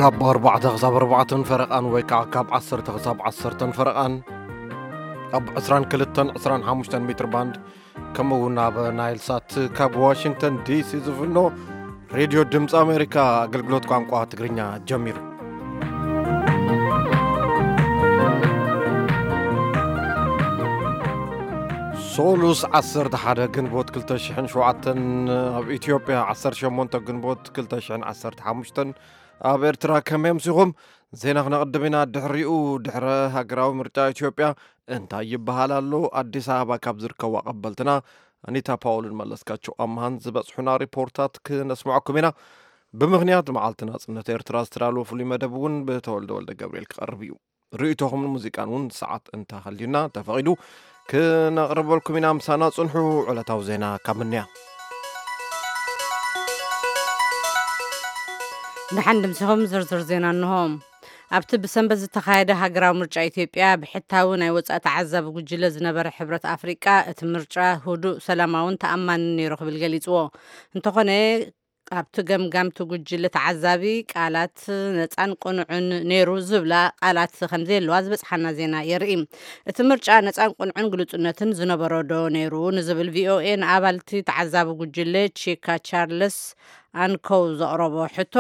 ካብ ኣርባዕተ ክሳብ ኣርባዕተን ፈረቓን ወይ ከዓ ካብ ዓሰርተ ክሳብ ዓሰርተን ፈረቓን ኣብ ዕስራን ክልተን ዕስራን ሓሙሽተን ሜትር ባንድ፣ ከምኡ እውን ኣብ ናይል ሳት ካብ ዋሽንግተን ዲሲ ዝፍኖ ሬድዮ ድምፂ ኣሜሪካ ኣገልግሎት ቋንቋ ትግርኛ ጀሚሩ። ሶሉስ ዓሰርተ ሓደ ግንቦት ክልተ ሽሕን ሸውዓተን፣ ኣብ ኢትዮጵያ ዓሰርተ ሸሞንተ ግንቦት ክልተ ሽሕን ዓሰርተ ሓሙሽተን፣ ኣብ ኤርትራ ከመይ ኣምሲኹም? ዜና ክነቕድም ኢና። ድሕሪኡ፣ ድሕረ ሃገራዊ ምርጫ ኢትዮጵያ እንታይ ይበሃል ኣሎ? ኣዲስ ኣበባ ካብ ዝርከቡ ኣቐበልትና ኣኒታ ፓውልን መለስካቸው ኣምሃን ዝበጽሑና ሪፖርታት ክነስምዐኩም ኢና። ብምኽንያት መዓልቲ ናጽነት ኤርትራ ዝተዳለወ ፍሉይ መደብ እውን ብተወልደ ወልደ ገብርኤል ክቐርብ እዩ። ርእይቶኹምን ሙዚቃን እውን ሰዓት እንተሃልዩና ተፈቒዱ ክነቕርበልኩም ኢና። ምሳና ጽንሑ። ዕለታዊ ዜና ካብ ምንያ። ደሓን ድምሲኹም ዝርዝር ዜና እንሆ። ኣብቲ ብሰንበት ዝተኻየደ ሃገራዊ ምርጫ ኢትዮጵያ ብሕታዊ ናይ ወጻኢ ተዓዛቢ ጉጅለ ዝነበረ ሕብረት ኣፍሪቃ እቲ ምርጫ ህዱእ፣ ሰላማውን ተኣማንን ነይሩ ክብል ገሊጽዎ። እንተኾነ ኣብቲ ገምጋምቲ ጉጅለ ተዓዛቢ ቃላት ነጻን ቅኑዕን ነይሩ ዝብላ ቃላት ከም ዘየለዋ ዝበጽሓና ዜና የርኢ። እቲ ምርጫ ነጻን ቅኑዕን ግሉጽነትን ዝነበሮ ዶ ነይሩ ንዝብል ቪኦኤ ንኣባልቲ ተዓዛቢ ጉጅለ ቺካ ቻርልስ ኣንኮው ዘቕረቦ ሕቶ፣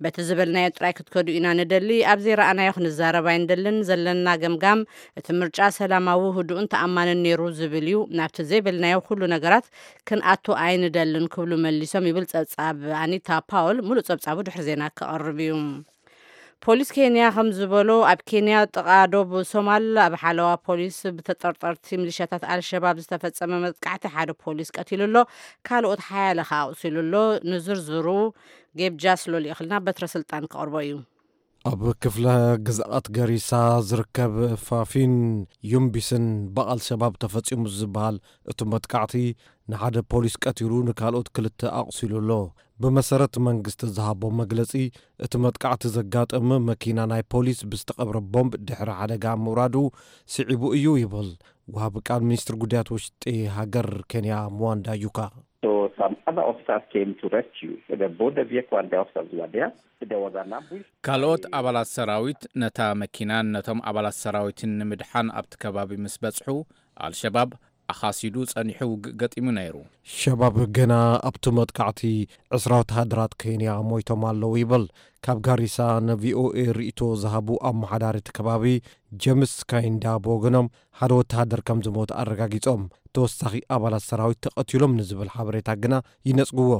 በቲ ዝበልናዮ ጥራይ ክትከዱ ኢና ንደሊ፣ ኣብ ዘይረኣናዮ ክንዛረብ ኣይንደልን፣ ዘለና ገምጋም እቲ ምርጫ ሰላማዊ፣ ህዱእን ተኣማንን ነይሩ ዝብል እዩ። ናብቲ ዘይበልናዮ ኩሉ ነገራት ክንኣቱ ኣይንደልን ክብሉ መሊሶም ይብል ጸብጻብ ኣኒታ ፓውል። ሙሉእ ጸብጻቡ ድሕሪ ዜና ክቐርብ እዩ። ፖሊስ ኬንያ ከም ዝበሎ፣ ኣብ ኬንያ ጥቓ ዶብ ሶማል ኣብ ሓለዋ ፖሊስ ብተጠርጠርቲ ሚሊሻታት ኣልሸባብ ዝተፈጸመ መጥቃዕቲ ሓደ ፖሊስ ቀቲሉ ኣሎ፣ ካልኦት ሓያለ ከኣ ኣቑሲሉ ኣሎ። ንዝርዝሩ ጌብ ጃስሎ ልኢኽልና በትረ ስልጣን ክቐርቦ እዩ። ኣብ ክፍለ ግዝኣት ገሪሳ ዝርከብ ፋፊን ዩምቢስን ብኣልሸባብ ተፈጺሙ ዝበሃል እቲ መጥቃዕቲ ንሓደ ፖሊስ ቀቲሉ ንካልኦት ክልተ ኣቑሲሉ ኣሎ። ብመሰረት መንግስቲ ዝሃቦ መግለጺ፣ እቲ መጥቃዕቲ ዘጋጠመ መኪና ናይ ፖሊስ ብዝተቐብረ ቦምብ ድሕሪ ሓደጋ ምውራዱ ስዒቡ እዩ ይብል ወሃቢ ቃል ሚኒስትር ጉዳያት ውሽጢ ሃገር ኬንያ ምዋንዳ ዩካ። So some other officers came to rescue the border vehicle and the officers were there. There was an ambush. ካልኦት ኣባላት ሰራዊት ነታ መኪናን ነቶም ኣባላት ሰራዊትን ንምድሓን ኣብቲ ከባቢ ምስ በጽሑ፣ ኣልሸባብ ኣኻሲዱ ጸኒሑ ውግእ ገጢሙ ነይሩ። ሸባብ ገና ኣብቲ መጥቃዕቲ ዕስራ ወተሃደራት ኬንያ ሞይቶም ኣለዉ ይብል። ካብ ጋሪሳ ንቪኦኤ ርእይቶ ዝሃቡ ኣመሓዳሪ እቲ ከባቢ ጀምስ ካይንዳ ብወገኖም፣ ሓደ ወተሃደር ከም ዝሞት ኣረጋጊጾም፣ ተወሳኺ ኣባላት ሰራዊት ተቐቲሎም ንዝብል ሓበሬታ ግና ይነጽግዎ።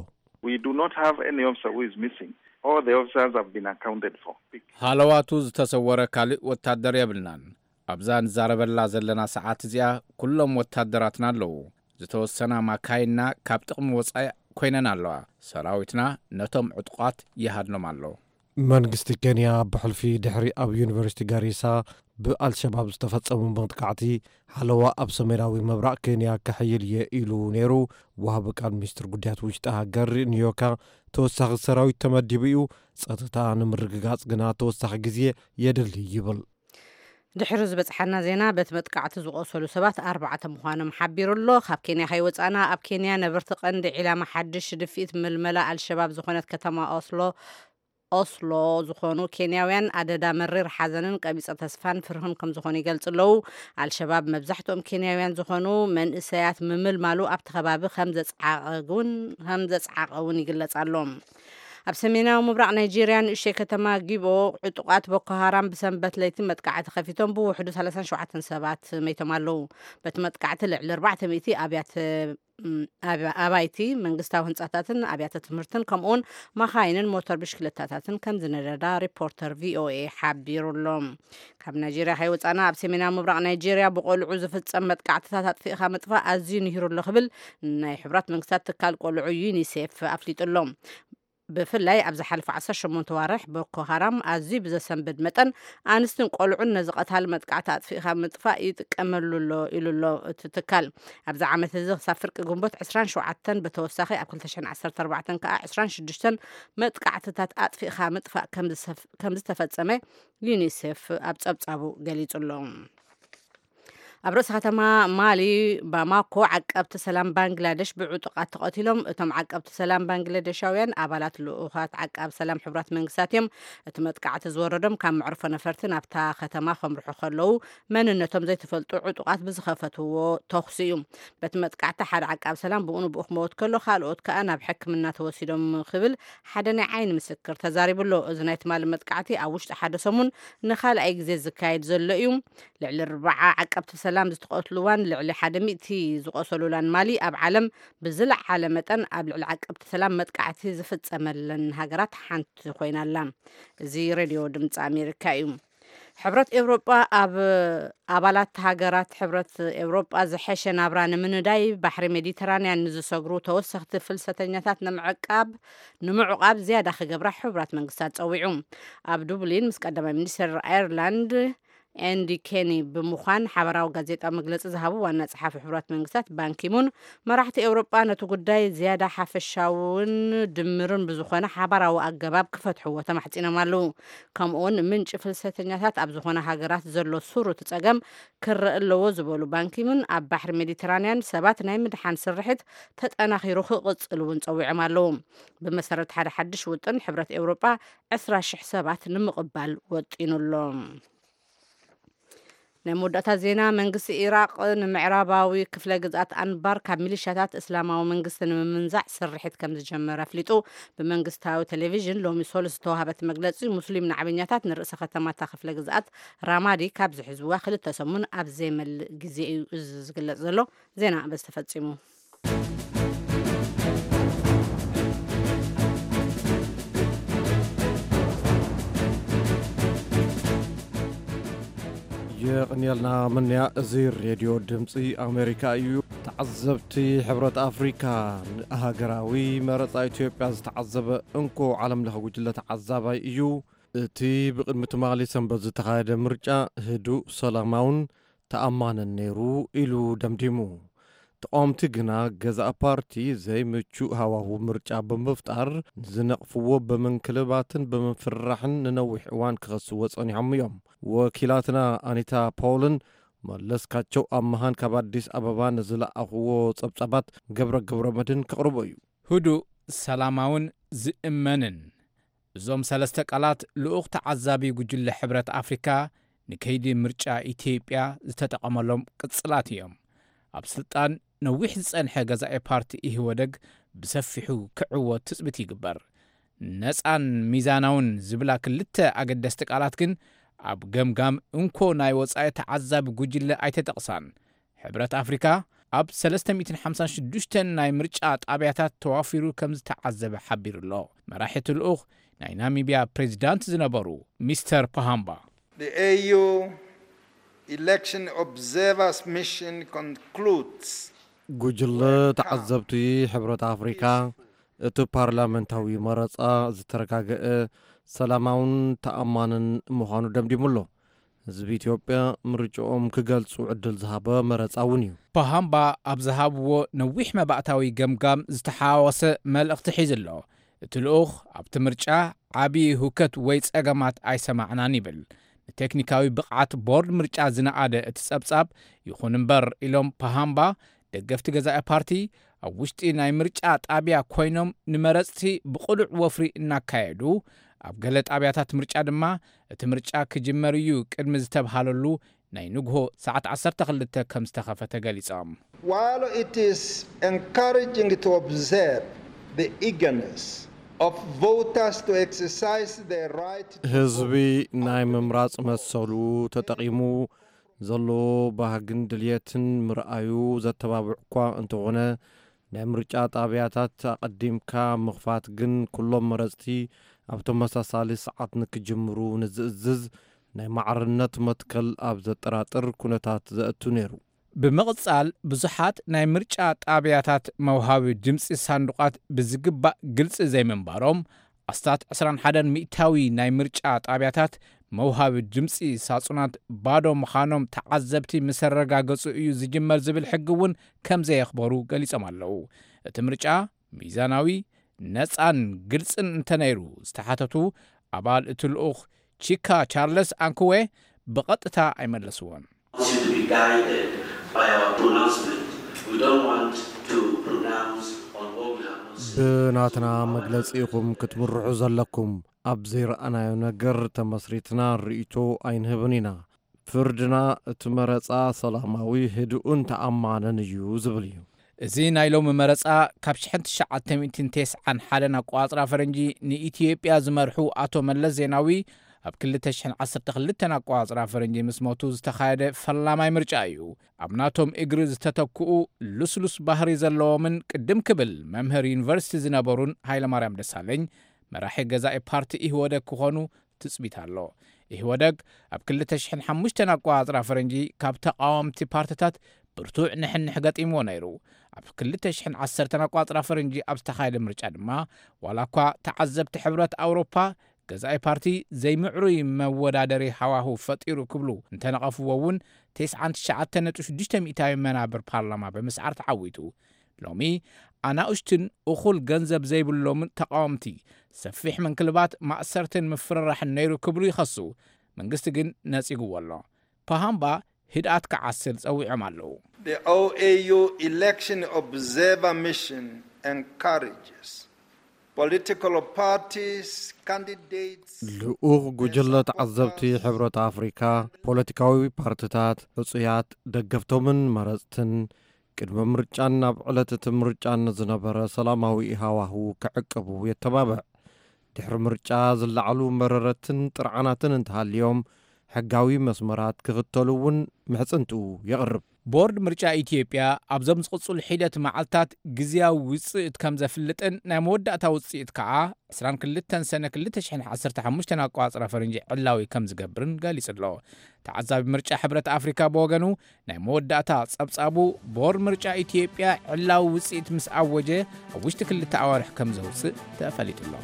We do not have any officer who is missing. All the officers have been accounted for. ሃለዋቱ ዝተሰወረ ካልእ ወታደር የብልናን። ኣብዛ ንዛረበላ ዘለና ሰዓት እዚኣ ኩሎም ወታደራትና ኣለዉ። ዝተወሰና ማካይንና ካብ ጥቕሚ ወጻኢ ኮይነን ኣለዋ። ሰራዊትና ነቶም ዕጡቓት ይሃድኖም ኣሎ። መንግስቲ ኬንያ ብሕልፊ ድሕሪ ኣብ ዩኒቨርሲቲ ጋሪሳ ብኣልሸባብ ዝተፈጸሙ መጥቃዕቲ፣ ሓለዋ ኣብ ሰሜናዊ ምብራቕ ኬንያ ከሕይል እየ ኢሉ ነይሩ። ወሃቢ ቃል ሚኒስትር ጉዳያት ውሽጢ ሃገር ኒዮካ፣ ተወሳኺ ሰራዊት ተመዲቡ እዩ፣ ጸጥታ ንምርግጋጽ ግና ተወሳኺ ግዜ የድሊ ይብል። ድሕሪ ዝበጽሓና ዜና፣ በቲ መጥቃዕቲ ዝቖሰሉ ሰባት ኣርባዕተ ምዃኖም ሓቢሩ ኣሎ። ካብ ኬንያ ከይወጻና፣ ኣብ ኬንያ ነበርቲ ቀንዲ ዒላማ ሓድሽ ድፍኢት ምልመላ ኣልሸባብ ዝኾነት ከተማ ኦስሎ፣ ኦስሎ ዝኾኑ ኬንያውያን ኣደዳ መሪር ሓዘንን ቀቢጸ ተስፋን ፍርህን ከም ዝኾኑ ይገልጹ ኣለዉ። ኣልሸባብ መብዛሕትኦም ኬንያውያን ዝኾኑ መንእሰያት ምምልማሉ ኣብቲ ከባቢ ከም ዘጽዓቐ እውን፣ ከም ዘጽዓቐ እውን ይግለጽ ኣሎ። ኣብ ሰሜናዊ ምብራቕ ናይጄርያ ንእሽተይ ከተማ ጊቦ ዕጡቓት ቦኮ ሃራም ብሰንበት ለይቲ መጥቃዕቲ ከፊቶም ብውሕዱ ሰላሳን ሸውዓተን ሰባት መይቶም ኣለዉ። በቲ መጥቃዕቲ ልዕሊ ኣርባዕተ ሚእቲ ኣብያተ፣ ም፣ ኣብ-፣ ኣባይቲ፣ መንግስታዊ ህንጻታትን ኣብያተ ትምህርትን ከምኡውን መኻይንን ሞተር ብሽክለታታትን ከም ዝነደዳ ሪፖርተር ቪኦኤ ሓቢሩ ኣሎ። ካብ ናይጄርያ ከይወጻና ኣብ ሰሜናዊ ምብራቕ ናይጄርያ ብቆልዑ ዝፍጸም መጥቃዕትታት ኣጥፊእኻ ምጥፋእ ኣዝዩ ንሂሩ ኣሎ ክብል ናይ ሕቡራት መንግስታት ትካል ቆልዑ ዩኒሴፍ ኣፍሊጡ ኣሎ። ብፍላይ ኣብ ዝሓለፈ ዓሰርተ ሸሞንተ ዋርሕ ቦኮ ሃራም ኣዝዩ ብዘሰንብድ መጠን ኣንስትን ቆልዑን ነዚ ቀታሊ መጥቃዕቲ ኣጥፊእኻ ምጥፋእ ይጥቀመሉ ኣሎ ኢሉ ኣሎ እቲ ትካል። ኣብዚ ዓመት እዚ ክሳብ ፍርቂ ግንቦት ዕስራን ሸውዓተን፣ ብተወሳኺ ኣብ ክልተ ሽሕን ዓሰርተ ኣርባዕተን ከኣ ዕስራን ሽዱሽተን መጥቃዕትታት ኣጥፊእኻ ምጥፋእ ከም ዝሰፍ-፣ ከም ዝተፈጸመ ዩኒሴፍ ኣብ ጸብጻቡ ገሊጹ ኣሎ። ኣብ ርእሲ ከተማ ማሊ ባማኮ፣ ዓቀብቲ ሰላም ባንግላደሽ ብዕጡቓት ተቐቲሎም። እቶም ዓቀብቲ ሰላም ባንግላደሻውያን ኣባላት ልኡኻት ዓቃብ ሰላም ሕቡራት መንግስታት እዮም። እቲ መጥቃዕቲ ዝወረዶም ካብ መዕርፎ ነፈርቲ ናብታ ከተማ ከምርሑ ከለዉ መንነቶም ዘይተፈልጡ ዕጡቓት ብዝኸፈትዎ ተኹሲ እዩ። በቲ መጥቃዕቲ ሓደ ዓቃብ ሰላም ብኡ ንብኡ ክመውት ከሎ፣ ካልኦት ከኣ ናብ ሕክምና ተወሲዶም ክብል ሓደ ናይ ዓይኒ ምስክር ተዛሪቡ ኣሎ። እዚ ናይ ትማሊ መጥቃዕቲ ኣብ ውሽጢ ሓደ ሰሙን ንኻልኣይ ግዜ ዝካየድ ዘሎ እዩ። ልዕሊ ኣርባዓ ዓቀብቲ ሰላም ዝተቐትሉዋን ልዕሊ ሓደ ሚእቲ ዝቖሰሉላን ማሊ፣ ኣብ ዓለም ብዝለዓለ መጠን ኣብ ልዕሊ ዓቀብቲ ሰላም መጥቃዕቲ ዝፍጸመለን ሃገራት ሓንቲ ኮይና ኣላ። እዚ ሬድዮ ድምፂ ኣሜሪካ እዩ። ሕብረት ኤውሮጳ ኣብ ኣባላት ሃገራት ሕብረት ኤውሮጳ ዝሐሸ ናብራ ንምንዳይ ባሕሪ ሜዲተራንያን ንዝሰግሩ ተወሰኽቲ ፍልሰተኛታት ንምዕቃብ ንምዕቋብ ዝያዳ ክገብራ ሕቡራት መንግስታት ጸዊዑ። ኣብ ዱብሊን ምስ ቀዳማይ ሚኒስትር ኣየርላንድ ኤንዲ ኬኒ ብምዃን ሓበራዊ ጋዜጣዊ መግለጺ ዝሃቡ ዋና ጸሓፊ ሕቡራት መንግስታት ባንኪሙን፣ መራሕቲ ኤውሮጳ ነቲ ጉዳይ ዝያዳ ሓፈሻውን ድምርን ብዝኾነ ሓባራዊ ኣገባብ ክፈትሕዎ ተማሕጺኖም ኣለዉ። ከምኡውን ምንጪ ፍልሰተኛታት ኣብ ዝኾነ ሃገራት ዘሎ ስሩት ጸገም ክረአ ኣለዎ ዝበሉ ባንኪሙን፣ ኣብ ባሕሪ ሜዲተራንያን ሰባት ናይ ምድሓን ስርሒት ተጠናኺሩ ክቕጽል እውን ጸዊዖም ኣለዉ። ብመሰረት ሓደ ሓድሽ ውጥን ሕብረት ኤውሮጳ ዕስራ ሽሕ ሰባት ንምቕባል ወጢኑ ኣሎ። ናይ መወዳእታ ዜና። መንግስቲ ኢራቕ ንምዕራባዊ ክፍለ ግዝኣት ኣንባር ካብ ሚሊሻታት እስላማዊ መንግስቲ ንምምንዛዕ ስርሒት ከም ዝጀመረ ኣፍሊጡ። ብመንግስታዊ ቴሌቪዥን ሎሚ ሶሉስ ዝተዋህበት መግለጺ፣ ሙስሊም ናዕበኛታት ንርእሰ ከተማታ ክፍለ ግዝኣት ራማዲ ካብ ዝሕዝዋ ክልተ ሰሙን ኣብ ዘይመልእ ግዜ እዩ እዚ ዝግለጽ ዘሎ። ዜና በዚ ተፈጺሙ። የቕንየልና ምንያ። እዚ ሬድዮ ድምፂ ኣሜሪካ እዩ። ተዓዘብቲ ሕብረት ኣፍሪካ፣ ንሃገራዊ መረፃ ኢትዮጵያ ዝተዓዘበ እንኮ ዓለም ለኸ ጉጅለ ተዓዛባይ እዩ። እቲ ብቕድሚ ትማሊ ሰንበት ዝተኻየደ ምርጫ ህዱእ፣ ሰላማውን ተኣማንን ነይሩ ኢሉ ደምዲሙ። ተቃወምቲ ግና ገዛእ ፓርቲ ዘይምቹእ ሃዋሁ ምርጫ ብምፍጣር ንዝነቕፍዎ ብምንክልባትን ብምፍርራሕን ንነዊሕ እዋን ክኸስዎ ጸኒሖም እዮም። ወኪላትና ኣኒታ ፖውልን መለስካቸው ኣመሃን ካብ ኣዲስ ኣበባ ንዝለኣኽዎ ጸብጻባት ገብረ ገብረ መድህን ከቕርቦ እዩ። ህዱእ፣ ሰላማውን ዝእመንን። እዞም ሰለስተ ቃላት ልኡኽ ተዓዛቢ ጉጅለ ሕብረት ኣፍሪካ ንከይዲ ምርጫ ኢትዮጵያ ዝተጠቐመሎም ቅጽላት እዮም። ኣብ ስልጣን ነዊሕ ዝጸንሐ ገዛኢ ፓርቲ ኢህወደግ ብሰፊሑ ክዕወት ትጽቢት ይግበር። ነጻን ሚዛናውን ዝብላ ክልተ ኣገደስቲ ቃላት ግን ኣብ ገምጋም እንኮ ናይ ወጻኢ ተዓዛቢ ጉጅለ ኣይተጠቕሳን። ሕብረት ኣፍሪካ ኣብ ሰለስተ ሚእትን ሓምሳን ሽዱሽተን ናይ ምርጫ ጣብያታት ተዋፊሩ ከም ዝተዓዘበ ሓቢሩ ኣሎ። መራሒ እቲ ልኡኽ ናይ ናሚብያ ፕሬዚዳንት ዝነበሩ ሚስተር ፓሃምባ። The A U election observers mission concludes ጉጅለ ተዓዘብቲ ሕብረት ኣፍሪካ እቲ ፓርላመንታዊ መረፃ ዝተረጋገአ፣ ሰላማውን ተኣማንን ምዃኑ ደምዲሙ ኣሎ። ህዝቢ ኢትዮጵያ ምርጫኦም ክገልጹ ዕድል ዝሃበ መረጻ እውን እዩ። ፓሃምባ ኣብ ዝሃብዎ ነዊሕ መባእታዊ ገምጋም ዝተሓዋወሰ መልእኽቲ ሒዙ ኣሎ። እቲ ልኡኽ ኣብቲ ምርጫ ዓቢ ሁከት ወይ ጸገማት ኣይሰማዕናን ይብል። ንቴክኒካዊ ብቕዓት ቦርድ ምርጫ ዝነኣደ እቲ ጸብጻብ፣ ይኹን እምበር ኢሎም ፓሃምባ፣ ደገፍቲ ገዛኢ ፓርቲ ኣብ ውሽጢ ናይ ምርጫ ጣብያ ኮይኖም ንመረጽቲ ብቕሉዕ ወፍሪ እናካየዱ፣ ኣብ ገለ ጣብያታት ምርጫ ድማ እቲ ምርጫ ክጅመር እዩ ቅድሚ ዝተብሃለሉ ናይ ንግሆ ሰዓት ዓሰርተ ክልተ ከም ዝተኸፈተ ገሊጾም። While it is encouraging to observe the eagerness of voters to exercise their right to ህዝቢ ናይ ምምራጽ መሰሉ ተጠቒሙ ዘሎ ባህግን ድልየትን ምርኣዩ ዘተባብዕ እኳ እንተኾነ፣ ናይ ምርጫ ጣብያታት ኣቐዲምካ ምኽፋት ግን ኩሎም መረጽቲ ኣብ ተመሳሳሊ ሰዓት ንክጅምሩ ንዝእዝዝ ናይ ማዕርነት መትከል ኣብ ዘጠራጥር ኩነታት ዘእቱ ነይሩ። ብምቕጻል፣ ብዙሓት ናይ ምርጫ ጣብያታት መውሃቢ ድምጺ ሳንዱቓት ብዝግባእ ግልጺ ዘይምንባሮም፣ ኣስታት ዕስራን ሓደን ሚእታዊ ናይ ምርጫ ጣብያታት መውሃቢ ድምጺ ሳጹናት ባዶ ምዃኖም ተዓዘብቲ ምስ ኣረጋገጹ እዩ ዝጅመር ዝብል ሕጊ እውን ከም ዘየኽበሩ ገሊጾም ኣለዉ። እቲ ምርጫ ሚዛናዊ፣ ነጻን ግልጽን እንተነይሩ ዝተሓተቱ ኣባል እቲ ልኡኽ ቺካ ቻርለስ ኣንክዌ ብቐጥታ ኣይመለስዎን። want you to be guided by our pronouncement. We don't want to pronounce on what we have not seen. ብናትና መግለጺ ኢኹም ክትምርሑ ዘለኩም። ኣብ ዘይረኣናዮ ነገር ተመስሪትና ርእይቶ ኣይንህብን ኢና። ፍርድና እቲ መረጻ ሰላማዊ፣ ህዱእን ተኣማንን እዩ ዝብል እዩ። እዚ ናይ ሎሚ መረጻ ካብ ሽሕን ትሽዓተ ሚእትን ተስዓን ሓደን ኣቆጻጽራ ፈረንጂ ንኢትዮጵያ ዝመርሑ ኣቶ መለስ ዜናዊ ኣብ ክልተ ሽሕን ዓሰርተ ክልተን ኣቆጻጽራ ፈረንጂ ምስ ሞቱ ዝተኻየደ ፈላማይ ምርጫ እዩ። ኣብ ናቶም እግሪ ዝተተክኡ ልስሉስ ባህሪ ዘለዎምን ቅድም ክብል መምህር ዩኒቨርሲቲ ዝነበሩን ሃይለማርያም ደሳለኝ መራሒ ገዛኢ ፓርቲ ኢህወደግ ክኾኑ ትጽቢት ኣሎ። ኢህወደግ ኣብ ክልተ ሽሕን ሓሙሽተን ኣቆጻጽራ ፈረንጂ ካብ ተቓወምቲ ፓርትታት ብርቱዕ ንሕንሕ ገጢምዎ ነይሩ። ኣብ ክልተ ሽሕን ዓሰርተን ኣቆጻጽራ ፈረንጂ ኣብ ዝተኻየደ ምርጫ ድማ ዋላ እኳ ተዓዘብቲ ሕብረት ኣውሮፓ ገዛኢ ፓርቲ ዘይምዕሩይ መወዳደሪ ሃዋህው ፈጢሩ ክብሉ እንተነቐፍዎ እውን ተስዓን ትሽዓተን ነጥቢ ሽዱሽተ ሚእታዊ መናብር ፓርላማ ብምስዓር ተዓዊቱ። ሎሚ ኣናኡሽትን እኹል ገንዘብ ዘይብሎምን ተቓወምቲ ሰፊሕ ምንክልባት ማእሰርትን ምፍርራሕን ነይሩ ክብሉ ይኸሱ። መንግስቲ ግን ነጺግዎ ኣሎ። ፓሃምባ ህድኣት ክዓስል ጸዊዖም ኣለዉ። The O A U election observer mission encourages political parties, candidates, ልኡኽ ጉጅለ ተዓዘብቲ ሕብረት ኣፍሪካ ፖለቲካዊ ፓርትታት፣ ሕጹያት፣ ደገፍቶምን መረጽትን ቅድሚ ምርጫን ኣብ ዕለት እቲ ምርጫን ዝነበረ ሰላማዊ ሃዋህው ክዕቅቡ የተባብዕ። ድሕሪ ምርጫ ዝለዓሉ መረረትን ጥርዓናትን እንተሃልዮም ሕጋዊ መስመራት ክኽተሉ እውን ምሕጽንትኡ የቕርብ። ቦርድ ምርጫ ኢትዮጵያ ኣብዞም ዝቕጽሉ ሒደት መዓልታት ግዝያዊ ውጽኢት ከም ዘፍልጥን ናይ መወዳእታ ውጽኢት ከኣ ዕስራን ክልተን ሰነ ክልተ ሽሕን ዓሰርተ ሓሙሽተን ኣቋጽራ ፈረንጂ ዕላዊ ከም ዝገብርን ገሊጹ ኣሎ። ተዓዛቢ ምርጫ ሕብረት ኣፍሪካ ብወገኑ ናይ መወዳእታ ጸብጻቡ ቦርድ ምርጫ ኢትዮጵያ ዕላዊ ውጽኢት ምስ ኣወጀ ኣብ ውሽጢ ክልተ ኣዋርሕ ከም ዘውጽእ ተፈሊጡ ኣሎ።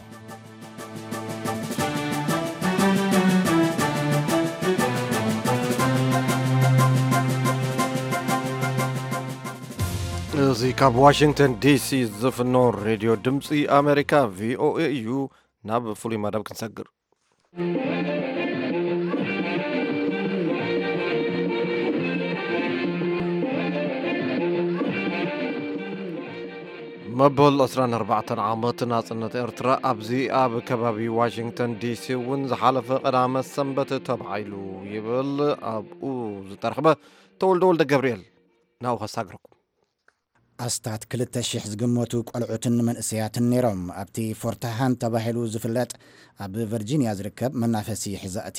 እዚ ካብ ዋሽንግተን ዲሲ ዝፍኖ ሬድዮ ድምፂ ኣሜሪካ ቪኦኤ እዩ። ናብ ፍሉይ መደብ ክንሰግር። መበል ዕስራን ኣርባዕተን ዓመት ናጽነት ኤርትራ ኣብዚ ኣብ ከባቢ ዋሽንግተን ዲሲ እውን ዝሓለፈ ቀዳመ ሰንበት ተባዒሉ ይብል ኣብኡ ዝተረኽበ ተወልደ ወልደ ገብርኤል። ናብኡ ከሳግረኩም። ኣስታት ክልተ ሽሕ ዝግመቱ ቆልዑትን መንእሰያትን ነይሮም ኣብቲ ፎርትሃን ተባሂሉ ዝፍለጥ ኣብ ቨርጂንያ ዝርከብ መናፈሲ ሕዛእቲ።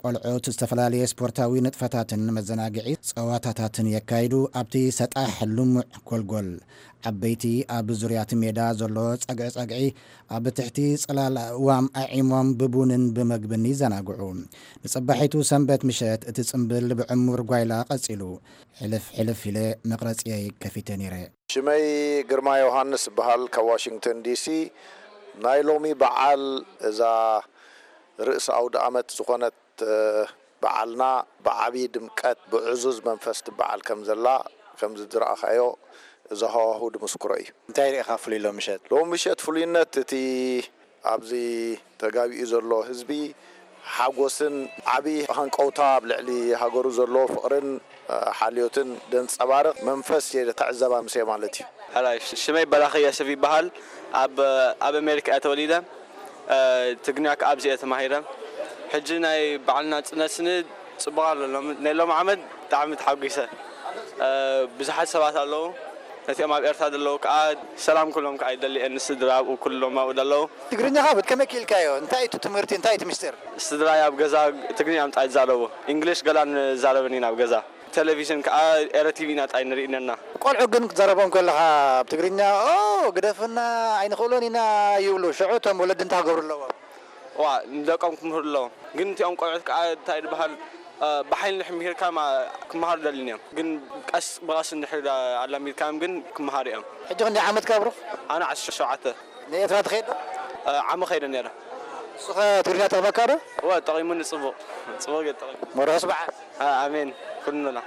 ቆልዑት ዝተፈላለየ ስፖርታዊ ንጥፈታትን መዘናግዒ ጸዋታታትን የካይዱ። ኣብቲ ሰጣሕ ልሙዕ ጎልጎል፣ ዓበይቲ ኣብ ዙርያ እቲ ሜዳ ዘሎ ጸግዒ ጸግዒ ኣብ ትሕቲ ጽላል ኣእዋም ኣዒሞም ብቡንን ብመግብን ይዘናግዑ። ንጽባሒቱ ሰንበት ምሸት እቲ ጽምብል ብዕሙር ጓይላ ቀጺሉ። ሕልፍ ሕልፍ ኢለ መቕረጽየይ ከፊተ ነይረ። ሽመይ ግርማ ዮሃንስ እበሃል፣ ካብ ዋሽንግተን ዲሲ። ናይ ሎሚ በዓል፣ እዛ ርእሲ ኣውደ ኣመት ዝኾነት፣ እ፣ በዓልና ብዓብዪ ድምቀት ብዕዙዝ መንፈስ ትበዓል ከም ዘላ፣ ከም ዝረኣኻዮ፣ እዚ ሃዋሁ ድምስክሮ እዩ። እንታይ ርኢኻ ፍሉይ ሎሚ ምሸት? ሎሚ ምሸት ፍሉይነት እቲ ኣብዚ ተጋቢኡ ዘሎ ህዝቢ ሓጎስን ዓቢ ሃንቀውታ ኣብ ልዕሊ ሃገሩ ዘሎ ፍቕርን፣ እ፣ ሓልዮትን ዘንጸባርቕ መንፈስ እየ ተዕዘብ ኣምስየ ማለት እዩ። ሕራይ፣ ሽመይ በራኺ የስፍ ይበሃል። ኣብ፣ ኣብ ኣሜሪካ እየ ተወሊደ። እ፣ ትግርኛ ከኣ ኣብዚ እየ ተማሂረ። ሕጂ ናይ በዓል ናጽነት ስኒ ጽቡቕ ኣሎ። ሎም-፣ ናይ ሎም ዓመት ብጣዕሚ ተሓጒሰ። እ፣ ብዙሓት ሰባት ኣለዉ። ነቲኦም ኣብ ኤርትራ ዘለዉ ከኣ ሰላም ክብሎም ከኣ ይደሊ እየ፣ ንስድራ ኣብኡ ኩሎም ኣብኡ ዘለዉ። ትግርኛኻ ብ-፣ ከመይ ክኢልካዮ? እንታይ እዩ እቲ ትምህርቲ? እንታይ እዩ እቲ ምስጢር? ስድራይ ኣብ ገዛ ትግርኛ እዮም ጥራይ ዝዛረቡ። እንግሊሽ ገላ ንዛረብን ኢና ኣብ ገዛ። ቴሌቪዥን ከኣ ኤረ ቲቪ ኢና ጥራይ ንርኢ ነርና። ቆልዑ ግን ክትዛረቦም ከለኻ ብ-፣ ትግርኛ፣ "ኦ፣ ግደፍና፣ ኣይንኽእሎን ኢና" ይብሉ። ሽዑ እቶም ወለዲ እንታይ ክገብሩ ኣለዎም? ዋ፣ ንደቆም ክምህሩ ኣለዎም። ግን እቲኦም ቆልዑት ከኣ እንታይ ዝበሃል፣ እ፣ ብሓይሊ እንድሕር ምሂርካ ማ-፣ ክመሃሩ ደልዩን እዮም። ግን ቀስ ብቐስ እንድሕር ኣላሚድካዮም ግን ክመሃሩ እዮም። ሕጂ ክንደይ ዓመትካ ብሩኽ? ኣነ ዓሰርተ ሸውዓተ። ንኤርትራ ትኸይድ ዶ? እ፣ ዓሚ ኸይደ ነይረ። ንስኸ ትግርኛ ጠቕመካ ዶ? እወ፣ ጠቒሙኒ ጽቡቕ። ጽቡቕ ገይሩ ጠቒሙ። መርሑስ በዓል። እ፣ ኣሜን። ኩሉ ንላ።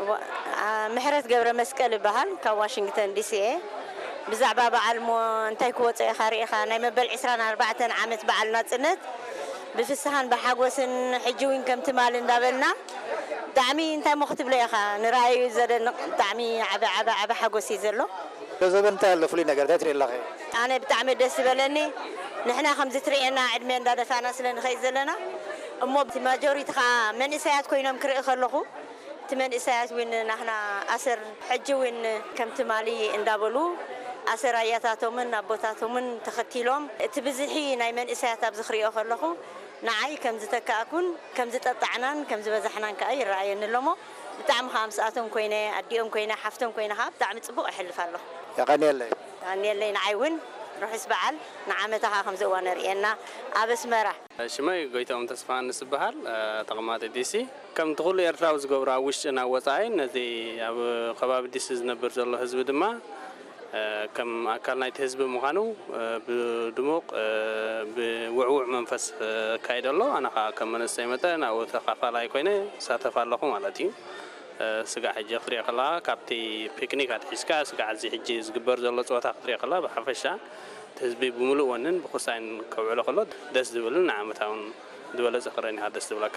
ዋ-፣ ኣ፣ ምሕረት ገብረ መስቀል እበሃል፣ ካብ ዋሽንግተን ዲሲ እየ። ብዛዕባ በዓል እሞ እንታይ ክወጾ ኢኻ ርኢኻ፣ ናይ መበል ዕስራን ኣርባዕተን ዓመት በዓል ናጽነት ብፍስሃን ብሓጎስን ሕጂ እውን ከም ትማሊ እንዳበልና ብጣዕሚ እንታይ እሞ ክትብሎ ኢኻ፣ ንረኣዩ ዘደንቕ ብጣዕሚ ዓቢ ዓቢ ዓቢ ሓጎስ እዩ ዘሎ። ዶ ዘበን እንታይ ኣሎ ፍሉይ ነገር እንታይ ትርኢ ኣለኺ? ኣነ ብጣዕሚ ደስ ዝበለኒ፣ ንሕና ከምዚ ትርእየና ዕድመ እንዳደፋና ስለ ንኸይድ ዘለና እሞ እቲ ማጆሪቲ ኸዓ መንእሰያት ኮይኖም ክርኢ ከለኹ እቲ መንእሰያት እውን ናህና ኣሰር ሕጂ እውን ከም ትማሊ እንዳበሉ ኣሰር ኣያታቶምን ኣቦታቶምን ተኸቲሎም እቲ ብዝሒ ናይ መንእሰያት ኣብዚ ክሪኦ ከለኹ ንዓይ ከም ዝተካእኩን ከም ዝጠጣዕናን ከም ዝበዛሕናን ከዓ ይረኣየኒ ኣሎ እሞ ብጣዕሚ ከዓ ምስኣቶም ኮይነ ኣዲኦም ኮይነ ሓፍቶም ኮይነ ከዓ ብጣዕሚ ፅቡቕ እሕልፍ ኣለኹ። የቐንየለይ። የቐንየለይ። ንዓይ እውን ርሑስ በዓል ንዓመታ ከዓ ከምዚ እዋ ነርእየና ኣብ ኣስመራ። ሽመይ ጎይታኦም ተስፋሃንስ ዝበሃል ተቐማጢ ዲሲ። ከምቲ ኩሉ ኤርትራዊ ዝገብሮ ኣብ ውሽጥን ኣብ ወጻኢን ነዚ ኣብ ከባቢ ዲሲ ዝነብር ዘሎ ህዝቢ ድማ ከም ኣካል ናይቲ ህዝቢ ምዃኑ ብድሙቕ ብውዕውዕ መንፈስ ኣካይዶ ኣሎ። ኣነ ከዓ ከም መንእሰይ መጠን ኣብኡ ተኻፋላይ ኮይነ ይሳተፍ ኣለኹ ማለት እዩ። ስጋዕ ሕጂ ክትሪኦ ከለኻ ካብቲ ፒክኒክ ኣትሒዝካ ስጋዕ እዚ ሕጂ ዝግበር ዘሎ ፀወታ ክትሪኦ ከለኻ ብሓፈሻ እቲ ህዝቢ ብምሉእ ወንን ብኩሳይን ከውዕሎ ከሎ ደስ ዝብልን ንዓመታውን ዝበለፀ ክረን ኢኻ ደስ ዝብለካ።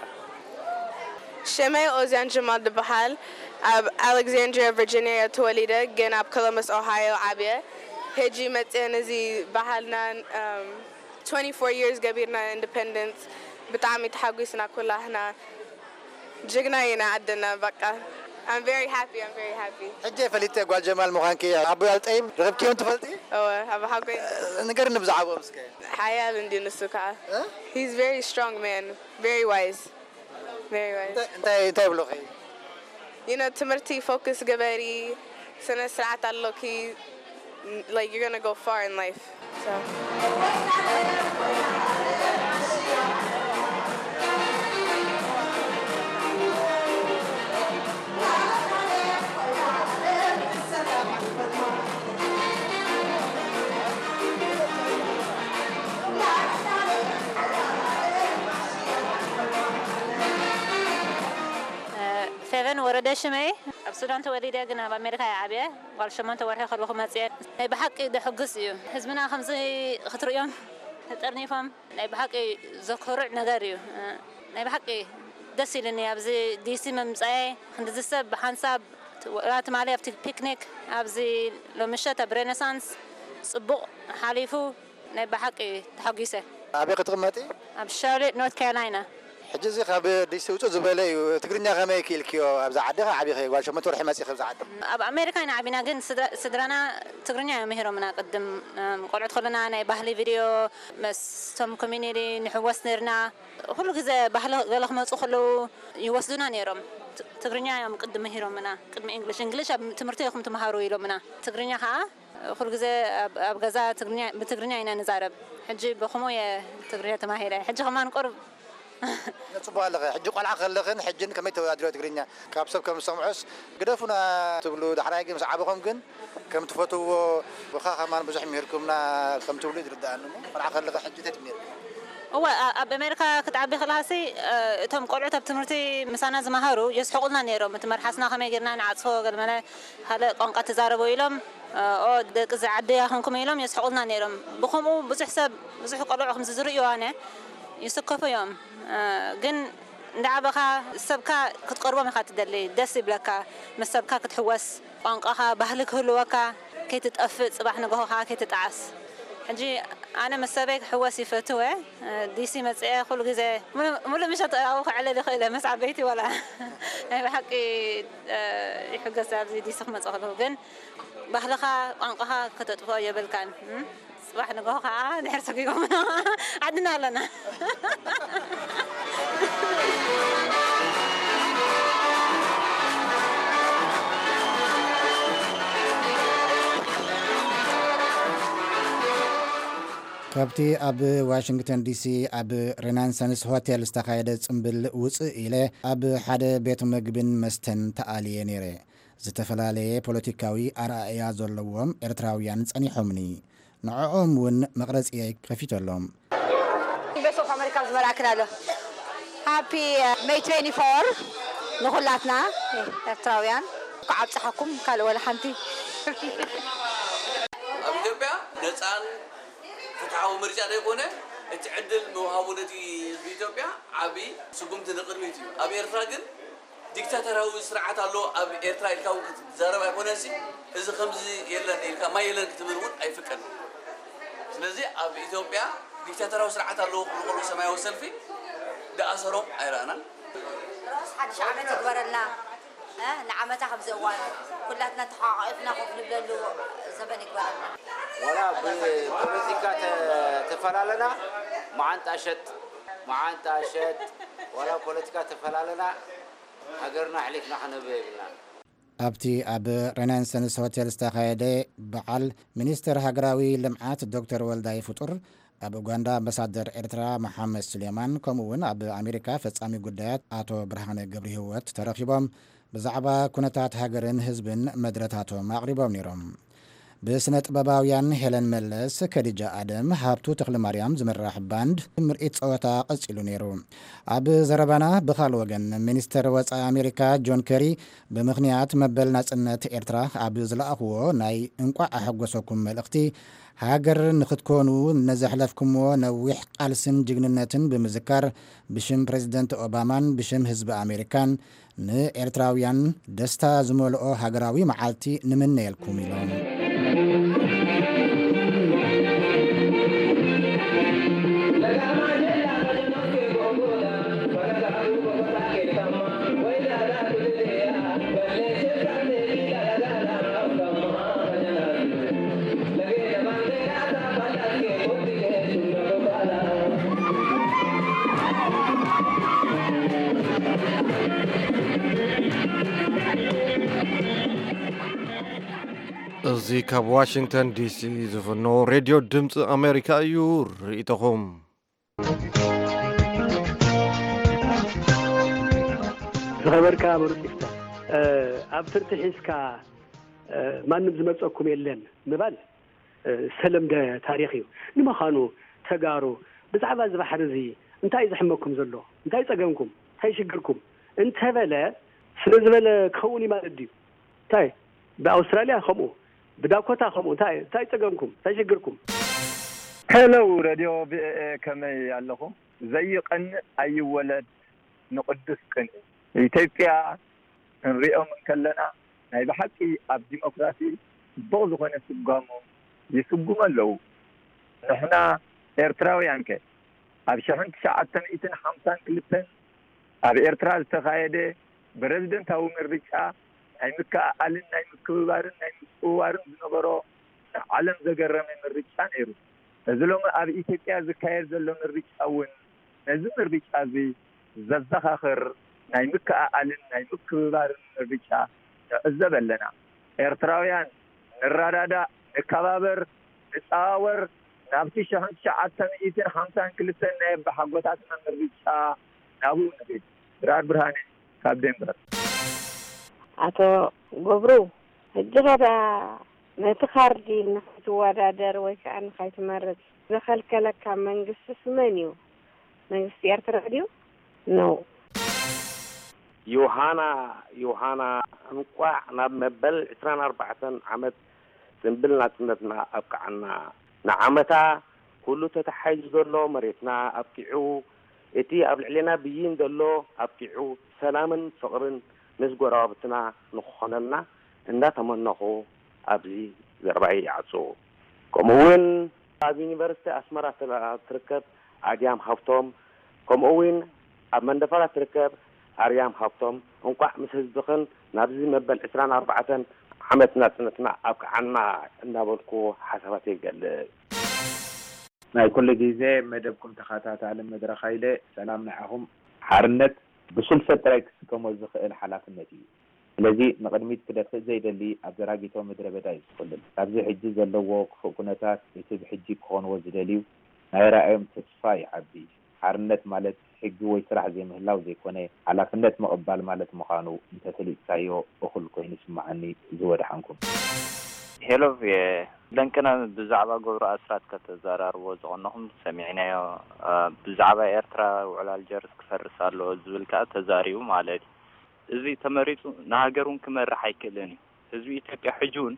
ሽመይ ኦዝያን ጀማል ዝበሃል ኣብ ኣሌክዛንድሪያ ቨርጂኒያ እየ ተወሊደ፣ ግን ኣብ ኮሎምበስ ኦሃዮ ዓብየ። ሕጂ መፅየ ነዚ ባህልና um, twenty-four years ገቢርና ኢንዲፐንደንስ ብጣዕሚ ተሓጒስና ኩላህና። ጅግና ኢና ዓድና በቃ። I'm very happy, I'm very happy. ሕጂ ፈሊጠ ጓል ጀማል ምዃንኪ። ኣቦይ ኣልጠይብ ረኺብክዮም ትፈልጢ? እወ፣ ኣቦ ሓጎይ። ንገርኒ ብዛዕባኦም እስከ። ሓያል እንድዩ ንሱ ከዓ። እ? He's very strong man, very wise. Very wise. እንታይ እንታይ እንታይ ይብሉኺ? You know ትምህርቲ ፎከስ ግበሪ፣ ስነ ስርዓት ኣሎኪ። Like you're gonna go far in life. So. ፌቨን ወረደ ሽመይ። ኣብ ሱዳን ተወሊደ ግን ኣብ ኣሜሪካ እየ ዓብየ። ጓል ሸሞንተ ወርሒ ከለኹ መፅየ። ናይ ብሓቂ ደሕጉስ እዩ። ህዝብና ከምዚ ክትርእዮም ተጠርኒፎም ናይ ብሓቂ ዘኮርዕ ነገር እዩ። ናይ ብሓቂ ደስ ኢሉኒ ኣብዚ ዲሲ ምምፃየ። ክንድዚ ሰብ ብሓንሳብ ወላ ትማሊ ኣብቲ ፒክኒክ ኣብዚ ሎምሸት ኣብ ሬነሳንስ ፅቡቕ ሓሊፉ ናይ ብሓቂ ተሓጒሰ። ኣበይ ክትቕመጢ? ኣብ ሻርሌት ኖርት ካሮላይና። ሕጂ እዚ ካብ ዲሲ ውፅእ ዝበለ እዩ። ትግርኛ ከመይ ክኢልክዮ? ኣብዛ ዓዲ ኢኺ ዓቢኺ፣ ጓል ሸሞንተ ወርሒ መፂኺ ኣብዛ ዓዲ። ኣብ ኣሜሪካ ኢና ዓቢና፣ ግን ስድራ- ስድራና ትግርኛ እዮም ምሂሮምና። ቅድም እም፣ ቆልዑት ከለና ናይ ባህሊ ቪድዮ ምስቶም ኮሚኒቲ ንሕወስ ነርና። ኩሉ ግዜ ባህሊ ገለ ክመፁ ከለዉ ይወስዱና ነይሮም። ት- ትግርኛ እዮም ቅድም ምሂሮምና፣ ቅድሚ እንግሊሽ። እንግሊሽ ኣብ ትምህርቲ ኢኹም ትምሃሩ ኢሎምና። ትግርኛ ከዓ ኩሉ ግዜ ኣብ- ኣብ ገዛ ትግርኛ- ብትግርኛ ኢና ንዛረብ። ሕጂ ብኸምኡ እየ ትግርኛ ተማሂረ። ሕጂ ከማን ቁሩብ ጽቡቕ ኣለኺ። ሕጂ ቆልዓ ከለኽን ሕጅን ከመይ ተወዳድርዮ ትግርኛ? ካብ ሰብ ከም ዝሰምዖስ ግደፉና ትብሉ፣ ዳሕራይ ግን ምስ ዓበኹም ግን ከም ትፈትውዎ፣ ብኻ ከማን ብዙሕ ምሂርኩምና ከም ትብሉ ይርድኣኒ እሞ፣ ቆልዓ ከለኺ ሕጂ እንታይ ትምህርኪ? እወ፣ ኣ- ኣብ ኣሜሪካ ክትዓቢ ከለኻሲ እ፣ እቶም ቆልዑት ኣብ ትምህርቲ ምሳና ዝመሃሩ የስሕቑልና ነይሮም። እቲ መርሓስና ከመይ ጌርና ንዓጽፎ፣ ገለመለ ካልእ ቋንቋ ትዛረቡ ኢሎም፣ እ፣ ኦ ደቂ እዚ ዓዲ ኢኹም ኢሎም የስሕቑልና ነይሮም። ብኸምኡ ብዙሕ ሰብ፣ ብዙሕ ቆልዑ ከምዚ ዝርእዩ ኣነ ይስከፉ እዮም። እ፣ ግን እንዳዓበኻ ሰብካ ክትቀርቦም ኢኻ ትደሊ፣ ደስ ይብለካ ምስ ሰብካ ክትሕወስ፣ ቋንቋኻ ባህሊ ክህልወካ፣ ከይትጠፍእ፣ ጽባሕ ንግሆ ከኣ ከይትጠዓስ። ሕጂ ኣነ ምስ ሰበይ ክሕወስ ይፈትው እየ። ዲሲ መጽየ ኩሉ ግዜ ሙሉ- ሙሉእ ምሸት ኣብኡ ከዕልል ይኽእል እየ፣ ምስ ዓበይቲ ወላ ናይ ብሓቂ ይሕገስ ኣብዚ ዲሲ ክመጽእ ከለኹ። ግን ባህልኻ ቋንቋኻ ከተጥፍኦ የብልካን። እም? ጽባሕ ንግሆ ከኣ ድሕር ሰጒጎም ዓድና ኣለና። ካብቲ ኣብ ዋሽንግተን ዲሲ ኣብ ሬናንሰንስ ሆቴል ዝተኻየደ ጽምብል ውጽእ ኢለ ኣብ ሓደ ቤት መግብን መስተን ተኣልየ ነይረ። ዝተፈላለየ ፖለቲካዊ ኣረኣእያ ዘለዎም ኤርትራውያን ጸኒሖምኒ። ንዕኦም እውን መቕረጺየይ ከፊተሎም። ቤት ኦፍ ኣሜሪካ ዝመርኣክን ኣሎ። ሃፒ ሜይ ትዌንቲ ፎር ንኹላትና ኤርትራውያን። እንኳዕ ኣብፀሓኩም ካልእ ወላ ሓንቲ። ኣብ ኢትዮጵያ ነፃን ፍትሓዊ ምርጫ ዘይኮነ እቲ ዕድል ምውሃቡ ነቲ ህዝቢ ኢትዮጵያ ዓቢ ስጉምቲ ንቕድሚት እዩ። ኣብ ኤርትራ ግን ዲክታተራዊ ስርዓት ኣሎ ኣብ ኤርትራ ኢልካ እውን ክትዛረብ ኣይኮነሲ፣ እዚ ከምዚ የለን ኢልካ ማይ የለን ክትብል እውን ኣይፍቀድን። ስለዚ ኣብ ኢትዮጵያ ዲክታተራዊ ስርዓት ኣለዎ ክብሉ ከለዉ ሰማያዊ ሰልፊ ድኣሰሮም ኣይረኣናን። ሮስ ሓድሽ ዓመት ይግበረልና። ንዓመታ ከምዚ እዋን ኩላትና ተሓቋቒፍና ኮፍ ንብለሉ ዘበን ይግበረልና። ዋላ ብፖለቲካ ተፈላለና መዓንጣ ሸጥ መዓንጣ ሸጥ ዋላ ፖለቲካ ተፈላለና ሃገርና ኣሕሊፍና ክነብ የብልናን። ኣብቲ ኣብ ሬናንሰንስ ሆቴል ዝተኻየደ በዓል፣ ሚኒስትር ሃገራዊ ልምዓት ዶክተር ወልዳይ ፍጡር፣ ኣብ ኡጋንዳ ኣምባሳደር ኤርትራ መሓመድ ሱሌማን፣ ከምኡ እውን ኣብ ኣሜሪካ ፈጻሚ ጉዳያት ኣቶ ብርሃነ ገብረሂወት ተረኺቦም ብዛዕባ ኩነታት ሃገርን ህዝብን መድረታቶም ኣቕሪቦም ነይሮም። ብስነ ጥበባውያን ሄለን መለስ፣ ከዲጃ ኣደም፣ ሃብቱ ተኽለማርያም ዝምራሕ ባንድ ምርኢት ጸወታ ቀጺሉ ነይሩ። ኣብ ዘረባና ብኻል ወገን ሚኒስተር ወጻኢ ኣሜሪካ ጆን ከሪ ብምኽንያት መበል ናጽነት ኤርትራ ኣብ ዝለኣኽዎ ናይ እንቋዕ ኣሐጎሰኩም መልእኽቲ፣ ሃገር ንኽትኮኑ ንዘሕለፍኩምዎ ነዊሕ ቃልስን ጅግንነትን ብምዝካር ብሽም ፕረዚደንት ኦባማን ብሽም ህዝቢ ኣሜሪካን ንኤርትራውያን ደስታ ዝመልኦ ሃገራዊ መዓልቲ ንምነየልኩም ኢሎም። እዚ ካብ ዋሽንግተን ዲሲ ዝፍኖ ሬድዮ ድምፂ ኣሜሪካ እዩ። ርእይቶኹም። ዝኸበርካ ምሩፅ ይፍታ፣ ኣብ ፍርቂ ሒዝካ ማንም ዝመፀኩም የለን ምባል ዝተለምደ ታሪኽ እዩ። ንምዃኑ ተጋሩ ብዛዕባ እዚ ባሕሪ እዚ እንታይ እዩ ዘሕመኩም ዘሎ? እንታይ ጸገምኩም? እንታይ ሽግርኩም? እንተበለ ስለ ዝበለ ክኸውን እዩ ማለት ድዩ? እንታይ ብኣውስትራልያ ከምኡ ብዳኮታ ከምኡ እንታይ እንታይ ጸገምኩም? እንታይ ሽግርኩም? ሄሎ ረድዮ ቪኦኤ ከመይ ኣለኹም? ዘይቐንእ ኣይወለድ ንቕዱስ ቅንኢ። ኢትዮጵያ ክንሪኦም እንከለና ናይ ብሓቂ ኣብ ዲሞክራሲ ጽቡቕ ዝኾነ ስጓሞ ይስጉሙ ኣለዉ። ንሕና ኤርትራውያንከ? ኣብ ሽሕን ትሽዓተ ሚእትን ሓምሳን ክልተን ኣብ ኤርትራ ዝተኻየደ ፕረዚደንታዊ ምርጫ ናይ ምክእኣልን ናይ ምክብባርን ናይ ምጽውዋርን ዝነበሮ ንዓለም ዘገረመ ምርጫ ነይሩ። እዚ ሎሚ ኣብ ኢትዮጵያ ዝካየድ ዘሎ ምርጫ እውን ነዚ ምርጫ እዚ ዘዘኻኽር ናይ ምክእኣልን ናይ ምክብባርን ምርጫ ንዕዘብ ኣለና። ኤርትራውያን ንረዳዳእ፣ ንከባበር፣ ንጸዋወር፣ ናብቲ ሽሕን ትሽዓተ ሚእትን ሓምሳን ክልተን ናይ ኣቦሓጎታትና ምርጫ ናብኡ ንኺድ። ድራር ብርሃነ ካብ ዴንቨር። ኣቶ ገብሩ፣ ሕጂ ኸ ደኣ ነቲ ካርዲ ንኸይትወዳደር ወይ ከኣ ንኸይትመርጽ ዝኸልከለካ መንግስትስ መን እዩ? መንግስቲ ኤርትራ ድዩ? No። ዮሃና ዮሃና እንቋዕ ናብ መበል ዕስራን ኣርባዕተን ዓመት ጽንብል ናጽነትና ኣብቅዓና። ንዓመታ ኩሉ ተታሒዙ ዘሎ መሬትና ኣብቂዑ፣ እቲ ኣብ ልዕሌና ብይን ዘሎ ኣብቂዑ፣ ሰላምን ፍቕርን ምስ ጎረባብትና ንኽኾነልና እንዳተመነኹ ኣብዚ ዘረባይ ይዓጹ። ከምኡ እውን ኣብ ዩኒቨርሲቲ ኣስመራ ትርከብ ኣድያም ሃብቶም፣ ከምኡ እውን ኣብ መንደፈራ ትርከብ ኣርያም ሃብቶም እንቋዕ ምስ ህዝብኽን ናብዚ መበል ዕስራን ኣርባዕተን ዓመት ናጽነትና ኣብቅዓና እናበልኩ ሓሳባተይ ይገልጽ። ናይ ኩሉ ግዜ መደብኩም ተኸታታሊ መድረኽ ሃይለ፣ ሰላም ንዓኹም። ሓርነት ብስልሰ ጥራይ ክስከሞ ዝኽእል ሓላፍነት እዩ። ስለዚ ንቕድሚት ክደፍእ ዘይደሊ ኣብ ዘራጊቶ ምድረ በዳ እዩ ዝኹልል። ካብዚ ሕጂ ዘለዎ ክፉእ ኩነታት እቲ ብሕጂ ክኾንዎ ዝደልዩ ናይ ራእዮም ተስፋ ይዓቢ። ሓርነት ማለት ሕጊ ወይ ስራሕ ዘይምህላው ዘይኮነ፣ ሓላፍነት ምቕባል ማለት ምዃኑ እንተፈሊጥካዮ እኹል ኮይኑ ይስምዓኒ። ዝወድሓንኩም። ሄሎ ቪኦኤ፣ ደንቅና ብዛዕባ ገብሩ ኣስራት ከተዘራርብዎ ዝቐነኹም ሰሚዕናዮ። ብዛዕባ ኤርትራ ውዕል ኣልጀርስ ክፈርስ ኣለዎ ዝብል ከኣ ተዛሪቡ ማለት እዩ። እዚ ተመሪጹ ንሃገር እውን ክመርሕ ኣይክእልን እዩ። ህዝቢ ኢትዮጵያ ሕጂ እውን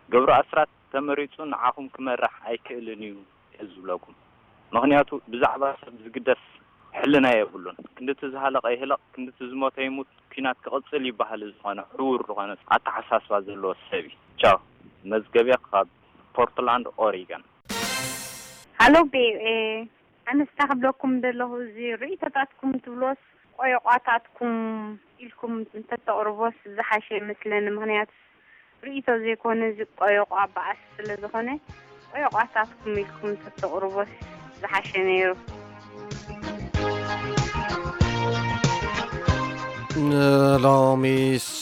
ገብሩ ኣስራት ተመሪጹ ንዓኹም ክመርሕ ኣይክእልን እዩ እየ ዝብለኩም። ምኽንያቱ ብዛዕባ ሰብ ዝግደስ ሕልና የብሉን። ክንድቲ ዝሃለቐ ይህለቕ፣ ክንድቲ ዝሞተ ይሙት፣ ኲናት ክቕጽል ይበሃል። ዝኾነ ዕዉር ዝኾነ ኣተሓሳስባ ዘለዎ ሰብ እዩ። ቻው። መዝገብያ ካብ ፖርትላንድ ኦሪገን። ሃሎ ቪኦኤ፣ ኣነስ እንታይ ክብለኩም ደለኹ፣ እዚ ርእይቶታትኩም ትብሎስ ቆየቋታትኩም ኢልኩም እንተተቕርቦስ ዝሓሸ ይመስለኒ። ምኽንያቱ ርእይቶ ዘይኮነ፣ እዚ ቆየቋ በኣስ ስለ ዝኾነ፣ ቆየቋታትኩም ኢልኩም እንተተቕርቦስ ዝሓሸ ነይሩ። ንሎሚ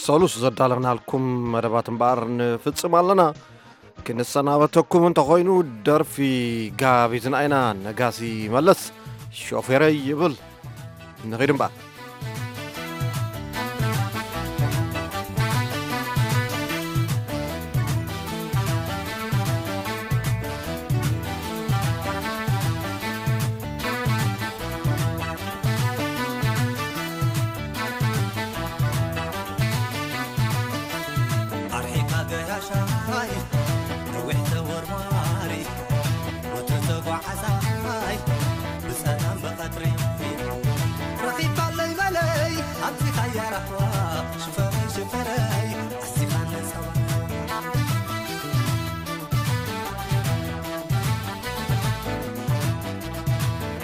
ሰሉስ ዘዳለናልኩም መደባት እምበኣር ንፍጽም ኣለና። ክንሰናበተኩም እንተኾይኑ፣ ደርፊ ጋቢትና ኢና። ነጋሲ መለስ ሾፌረይ ይብል። ንኺድ እምበኣር። ኣርሒቃ ገያሻይ ነዊሕ ተወርዋሪ፣ ወትሩ ተጓዓዛይ ብጸላም ብቐትሪ። ረኺብካለይ መለይ ኣምጺኻያ ራህዋ፣ ሽፈረይ ሽፈረይ ኣስቲኻኒ ጸባ።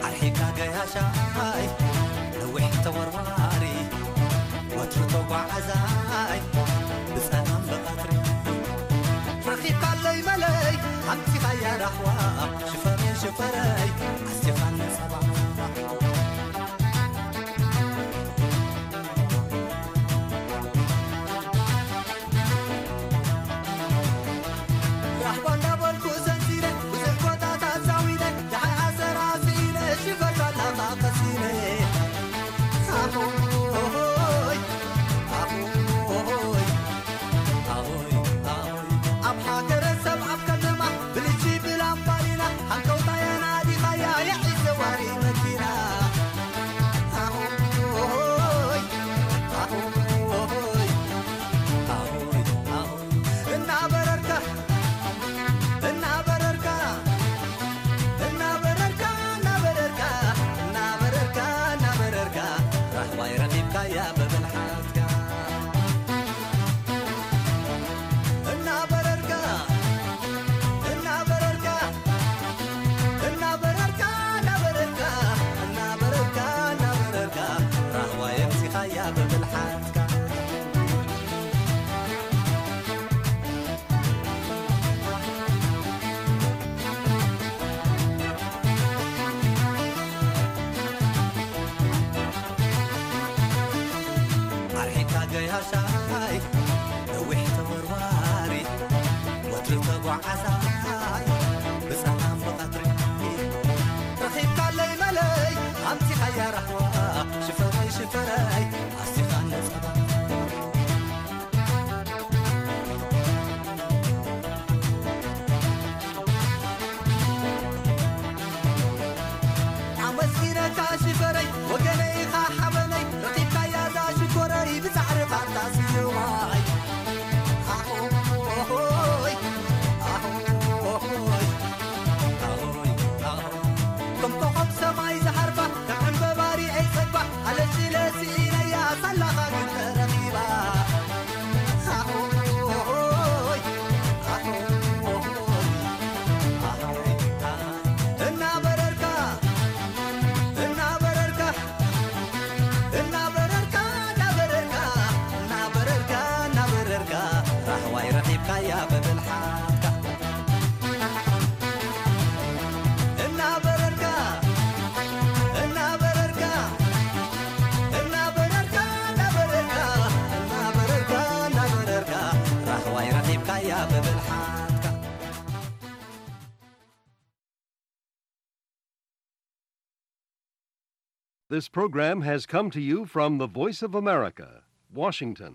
ኣርሒቃ ገያሻይ ነዊሕ ተወርዋሪ፣ ወትሩ ተጓዓዛይ ብጸላም ብቐትሪ። ረኺብካለይ መለይ ኣምጺኻያ ራህዋ፣ ሽፈረይ ሽፈረይ ኣስቲኻኒ ጸባ። ራህባ እንዳበልኩ ሰንሲነ፣ ብዙሕ ጎታት ኣዛዊነ፣ ደሓይ ኣሰራ ስኢነ፣ ሽፈር ባላኻ ቀሲነ። ኣሆይ፣ ኣሆይ፣ ኣሆይ፣ ኣሆይ። ኣብ ሃገረሰብ ኣብ ከተማ፣ ብልጂ ብላምባዲና፣ ሃንቀውታ የናዲኻያ፣ የዒ ዘዋሪ መኪና። ኣሆይ፣ ኣሆይ፣ ኣሆይ፣ ኣሆይ። እናበረርካ፣ እናበረርካ፣ እናበረርካ፣ እናበረርካ፣ እናበረርካ፣ እናበረርካ፣ ራህዋይ ረኺብካያ ብብልሓትካ። እናበረርካ፣ እናበረርካ፣ እናበረርካ፣ እናበረርካ፣ እናበረርካ፣ እናበረርካ፣ ራህዋይ ኣምጺኻያ ብብልሓትካ። ኣርሒታ ገያሻይ ነዊሕ ተወርዋሪ፣ ወትሩ ተጓዓዛይ ብጸላም ብቐትሪ። ረኺብካለይ መለይ ኣምጺኻያ ራህዋ፣ ሽፈረይ ሽፈረይ ኣስቲኻኒ ጸባ። ኣመስጊነካ ሽፈረይ ወገነይ ኢኻ ሓበነይ፣ ረኺብካያ እዛ ሽኮረይ ብጻዕርኻ እታ ስየዋይ። ኣሆይ፣ ኣሆይ፣ ኣሆይ፣ ኣሆይ። ከም ኮኾብ ሰማይ ዝሃርፋ፣ ከም ዕምበባ ሪኤ ጸግባ፣ ኣለሽ ኢለ ስኢነያ ሳላኻ ግን ተረኺባ። ኣሆይ፣ ኣሆይ፣ ኣሆይ፣ ኣሆይ። እናበረርካ፣ እናበረርካ፣ እናበረርካ፣ እናበረርካ፣ እናበረርካ፣ እናበረርካ፣ ራህዋይ ረኺብካያ ብብልሓትካ። እናበረርካ፣ እናበረርካ፣ እናበረርካ፣ እናበረርካ፣ እናበረርካ፣ እናበረርካ፣ ራህዋይ ረኺብካያ ብብልሓትካ። This program has come to you from the Voice of America, Washington.